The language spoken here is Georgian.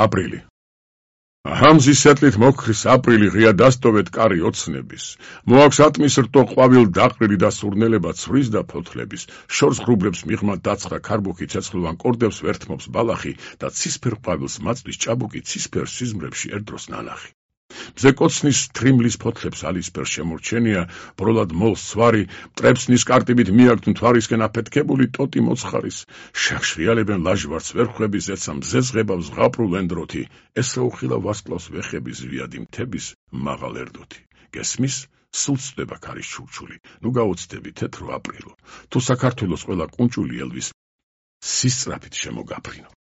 აპრილი. Ჰამზის სეტლით მოქრის აპრილი ღია დასტოვეთ კარი ოცნების. მოაქვს ატმის რტო ყვავილ დაყრილი და სურნელება ცვრის და ფოთლების. შორს ღრუბლებს მიღმა დაცხა ქარბუქი ცეცხლოვან კორდებს ვერთმობს ბალახი და ცისფერ ყვავილს მაწვის ჭაბუკი ცისფერ სიზმრებში ერთდროს ნანახი. მზე კოცნის თრიმლის ფოთლებს ალისფერ შემორჩენია, ბროლად მოლს ცვარი, მტრებს ნისკარტებით მიაქვთ მთვარისკენ აფეთქებული ტოტი მოცხარის. შეახშრიალებენ ლაჟვარდს ვერხვების, ეცა მზეს ღებავს ზღაპრულ ენდროთი, ესაუხილა ვარსკვლავს ვეხების ზვიადი მთების მაღალ ერდოთი. გესმის, სულ ცდება ქარის ჩურჩული, ნუ გაუცდები თეთრო აპრილო, თუ საქართველოს ყველა კუნჭული ელვის სისწრაფით შემოგაფრინო.